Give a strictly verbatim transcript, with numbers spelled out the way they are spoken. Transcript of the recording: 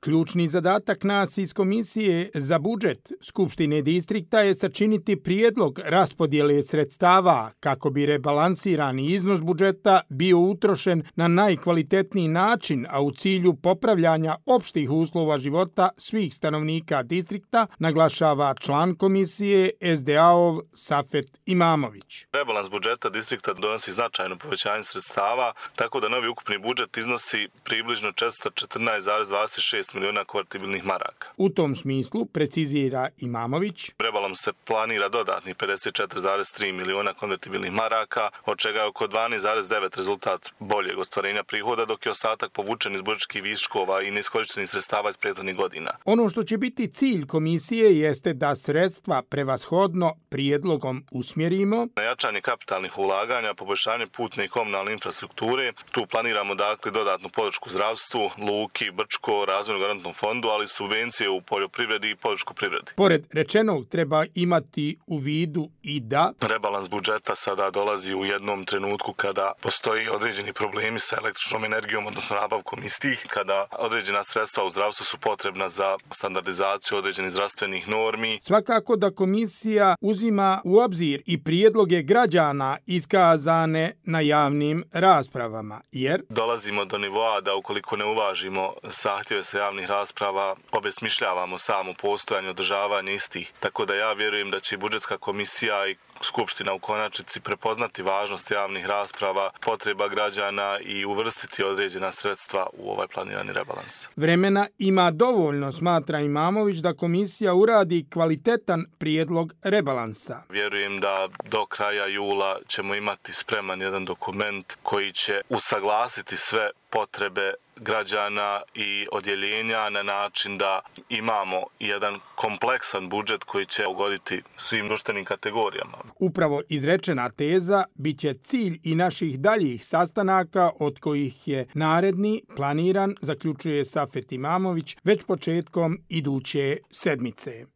Ključni zadatak nas iz Komisije za budžet Skupštine distrikta je sačiniti prijedlog raspodjele sredstava kako bi rebalansirani iznos budžeta bio utrošen na najkvalitetniji način, a u cilju popravljanja opštih uslova života svih stanovnika distrikta, naglašava član komisije S D A-ov Safet Imamović. Rebalans budžeta distrikta donosi značajno povećanje sredstava, tako da novi ukupni budžet iznosi približno četiristo četrnaest zarez dvadeset šest miliona konvertibilnih maraka. U tom smislu, precizira Imamović, rebalans se planira dodatnih pedeset četiri zarez tri miliona konvertibilnih maraka, od čega je oko dvanaest zarez devet rezultat boljeg ostvarenja prihoda, dok je ostatak povučen iz budžetskih viškova i neiskorištenih sredstava iz prethodnih godina. Ono što će biti cilj komisije jeste da sredstva prevashodno prijedlogom usmjerimo na jačanje kapitalnih ulaganja, poboljšanje putne i komunalne infrastrukture. Tu planiramo dakle dodatnu podršku zdravstvu, luki, Brčko, razvojnom garantnom fondu, ali subvencije u poljoprivredi i podršku privredi. Pored rečenog treba imati u vidu i da rebalans budžeta sada dolazi u jednom trenutku kada postoji određeni problemi sa električnom energijom, odnosno nabavkom istih, kada određena sredstva u zdravstvu su potrebna za standardizaciju određenih zdravstvenih normi. Svakako da komisija uzima u obzir i prijedloge građana iskazane na javnim raspravama, jer dolazimo do nivoa da ukoliko ne uvažimo zahtjeve sa javnih rasprava, obesmišljavamo samo postojanje održavanja istih. Tako da ja vjerujem da će budžetska komisija i Skupština u konačnici prepoznati važnost javnih rasprava, potreba građana i uvrstiti određena sredstva u ovaj planirani rebalans. Vremena ima dovoljno, smatra Imamović, da komisija uradi kvalitetan prijedlog rebalansa. Vjerujem da do kraja jula ćemo imati spreman jedan dokument koji će usaglasiti sve potrebe građana i odjeljenja na način da imamo jedan kompleksan budžet koji će ugoditi svim društvenim kategorijama. Upravo izrečena teza bit će cilj i naših daljih sastanaka, od kojih je naredni planiran, zaključuje Safet Imamović, već početkom iduće sedmice.